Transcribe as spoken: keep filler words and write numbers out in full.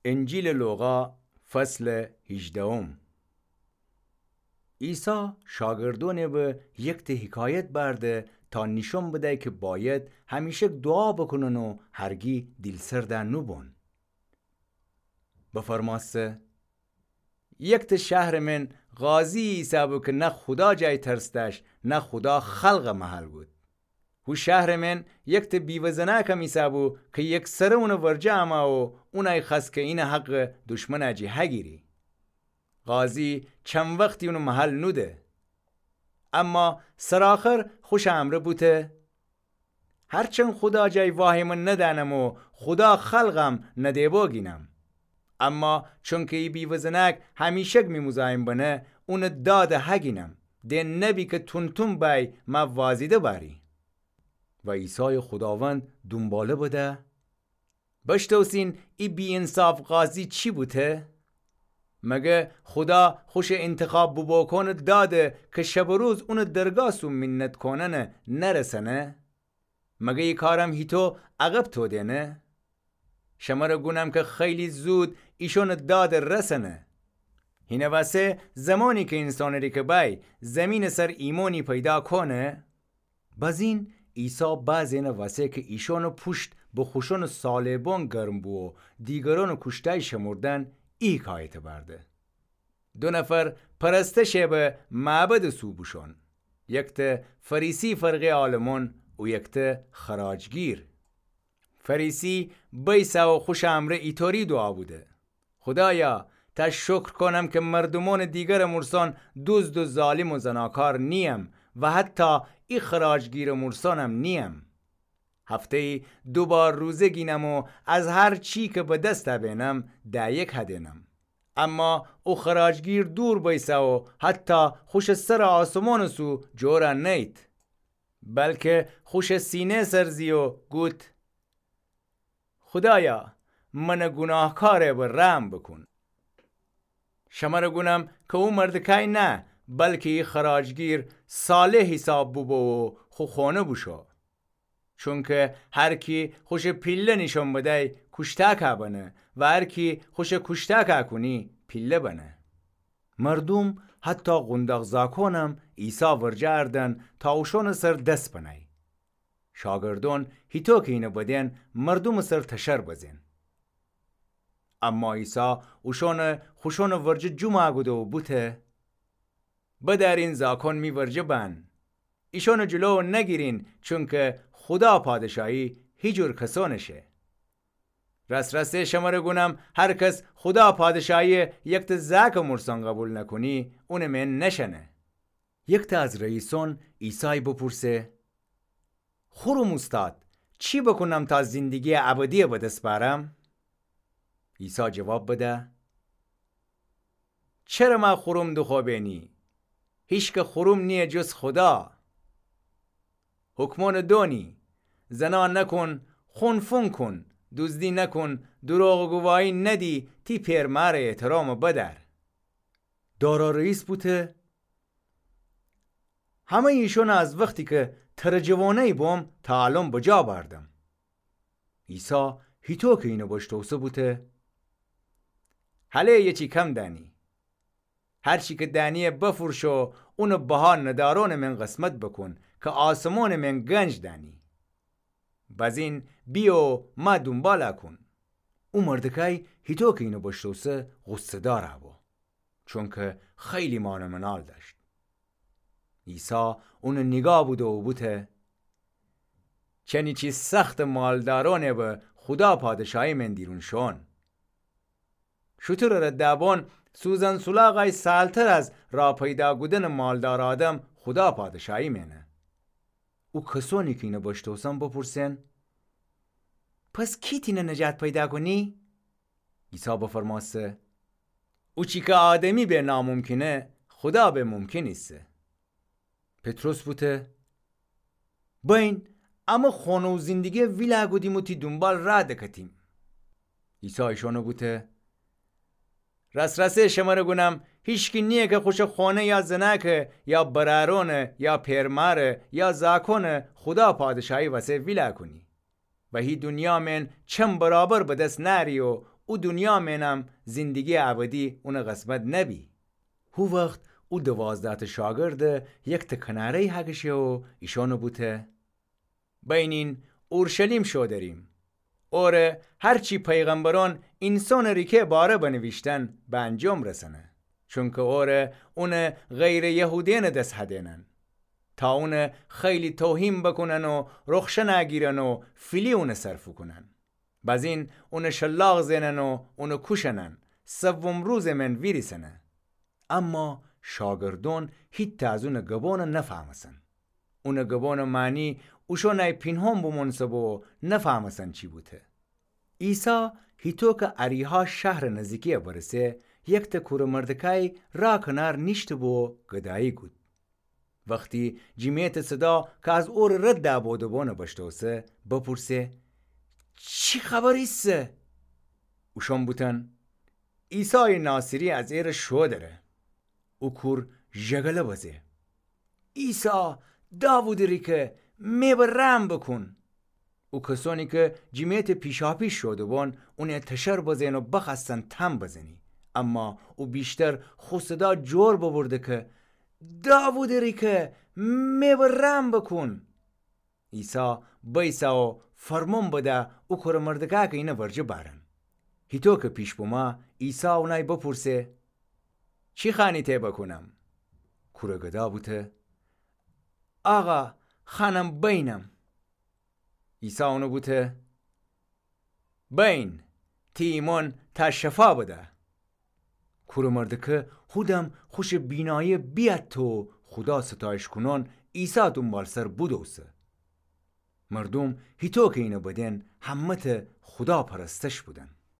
انجیلٚ لوقا، فصلٚ هیجدهم. عیسی شاگردأنٚ به یکته حکایت بأرده تا نیشأن بدی کی بأید همیشک دوعا بوکونن و هرگی دیل‌سرد نوبون. بفرمأسته: یکته شهرٚ مئن قاضی ایسه‌بو کی نه خودا جای ترس دأشت، نه خودا خلقٚ محل گود. هو شهرٚ مئن یکته بیوه زنأکم ایسه‌بو کی یکسره اونٚ ورجه امه و اونأی خوأست کی اینٚ حقٚ دشمنٚ جی هگیری. قاضی چن وختی اونٚ محل نوده. اما سرآخر خوشٚ امرأ بوته: هرچند خودا جای واهیمه ندأنم و خودا خلقم ندیبا گینم، اما چونکی ای بیوه زنأک همیشک می مزاحم بنه، اونٚ داد هگینم، ده نبی کی تون‌تون بأی مه وازیده بأری. و عیسایٚ خوداوند دونباله بده: بشتوسین ای بی‌انصاف قاضی چی بوته؟ مگر خودا خوشٚ اینتخاب بوبوکونٚ داده کی شب و روز اونٚ درگاه سو مینت کوننه نرسنه؟ مگر ای کارم هیطو عقب تودأنه؟ شمر گونم کی خیلی زود ایشونٚ داد رسنه. هینٚ وسه زمانی کی اینسانٚ ریکه بأی، زیمینٚ سر ایمأنی پیدا کونه؟ بزین عیسی بعضی‌یأنٚ وسه کی ایشونٚ پوشت به خوشونٚ صالح‌بون گرم بو و دیگرونٚ کوشتای شمردن، ای حکایت بأرده: دو نفر پرستشه به معبدٚ سو بوشون، یکته فریسی فرقه‌یٚ عالمون و یکته خراجگیر. فریسی بیسه و خوشٚ امرأ ایطوری دوعا بوده: خودایا، تا شکر کونم کی مردومأنٚ دیگرٚ امرسان دوزد و ظالم و زناکار نییم و حتی ای خراجگیرٚ امرسانم نییم. هفته‌یی دو بار روزه گینم و از هر چی کی به دست بینم، ده‌یک هدینم. اما او خراجگیر دور بیسه و حتی خوشٚ سرٚ آسمانٚ سو جور نیت، بلکی خوشٚ سینه سر زی و گوت: خودایا، منٚ گوناهکاره به رحم بوکون. شمر گونم کی او مردکای نه، بلکی ای خراجگیر صالح حیساب بوبو و خو خونه بوشو. چونکی هر کی خوشٚ پیله نیشأن بدی، کوشتأکه بنه و هر کی خوشٚ کوشتأکه کونی، پیله بنه. مردوم، حتی قونداق زاکونم، عیسی ورجه اردن تا اوشونٚ سر دس بنی. شاگردون هیطو کی اینه بدین، مردومٚ سر تشر بزین. اما عیسی اوشونٚ خوشونٚ ورجه جومه کوده و بوته: بدأرین زاکون می ورجه بأن. ایشونٚ جلو نگیرین، چونکی خودا پادشاهی هیجور کسونٚ شه. راس‌راسی شمر گونم، هر کس خودا پادشاهی یکته زاکٚ امرسان قوبیل نکونی، اونٚ مئن نشأنه. یکته از رئیسون عیسای بپرسه: خوروم اوستاد، چی بوکونم تا زندگییٚ ابدیی به دس بأرم؟ عیسی جواب بده: چره مه خوروم دوخوأ بینی؟ هیچکه خوروم نییه جز خودا. حکمونٚ دونی: زنا نکون، خون فون کون، دوزدی نکون، دروغٚ گواهی ندی، تی پئر مأرٚ احترام بدأر. دارا رئیس بوته: همه‌یٚ ایشون از وختی کی ترٚ جوانه‌یی بوم تا الأن بجا بأردم. عیسی هیطو کی اینه بشتوسه بوته: هله یه چی کم دأنی. هر چی کی دأنیی بفروش و اونٚ بها ندأرونٚ مئن قسمت بوکون کی آسمانٚ مئن گنج دأنی. بزین بیه و مه دونبال کون. او مردکای هیطو کی اینه بشتوسه غصه‌دار بو، چونکی خیلی مال و منال دأشت. عیسی اونه نیگاه بوده و بوته: چنی چی سختٚ مالدارأنه به خودا پادشاهی مئن دیرون شون. شوتورٚ رده‌بون سوزن سولاغای سالتر از راه پیدا کودنٚ مالدار آدم خودا پادشاهی مئنه. او کسونی کی اینه بشتوسن بپرسن: پس کی تینه نجات پیدا کونی؟ عیسی بفرمأسته: او چی کی آدمی به ناممکنه، خودا به ممکن ایسه. پطرس بوته: بین، امه خونه و زندگی ویلا کودیم و تی دونبال راه دکتیم. عیسی ایشانه بوته: راس‌راسی شمره گونم، هیچکی نییه کی خوشه خونه یا زناکه یا برأرونه یا پئرماره یا زاکونه خودا پادشاهی وسه ویلا کونی. و هی دونیا مئن چن برابر به دس نأری و او دونیا مئنم زندگیٚ ابدی اونٚ قسمت نبی. هو وخت او دوازده‌تأ شاگردٚ یکتأ کناره‌یی هکشه و ایشأنٚ بوته: بینین، اورشلیم شو دریم. اوره هر چی پیغمبرأن اینسانٚ ریکه باره بنیویشتن به انجام رسنه. چونکه اوره اونٚ غیرٚ یهودیأنٚ دس هدینن، تا اونٚ خیلی توهین بوکونن و رخشن اگیرن و فیلی اونٚ سر فوکونن. بزین اونٚ شلاق زئنن و اونٚ کوشنن، سوم روزٚ مئن ویریسنه. اما شاگردأن هیتأ از اونٚ گبأن نفهمسن. اونٚ گبأنٚ معنی اوشأنأی پینهان بومونسه بو و نفهمسن چی بوته. عیسی هیتو که اریحا شهرٚ نزیکی برسه، یکتأ کورٚ مردکأی را کنار نیشته بو و گدایی کود. وختی جیمیتٚ صدا که از اورٚ رد دأ بودوبؤن بشتوسه، بپورسه: چی خبر ایسه؟ اوشأن بوتن: عیسایٚ ناصری از ایره شو دره. او کور ژگله بزه: عیسی، داوودٚ ریکه، می به رحم بوکون. او کسأنی که جیمیتٚ پیشاپیش شوده‌بون، اونه تشر بزئن و بخوأستن تن بزنی. اما او ویشتر خو صدا جور ببرده که: داوودٚ ریکه، می به رحم بوکون. عیسی بیسه و فرمون بده او کورٚ مردکأی که اینه ورجه بأرن. هیتو که پیش بومه، عیسی اونأی بپورسه: چی خوأنی تی بوکونم؟ کورٚ گدا بوته: آقا، خوأنم بینم. عیسی اونه بوته: بین، تی ایمأن تا شفا بده. کورٚ مردکه هودم خوشٚ بینایی بیأتته و خودا ستایش کونان عیسی دونبالسر بودوسه. مردوم هیتو که اینه بدئن همه‌تأ خودا پرستش بودن.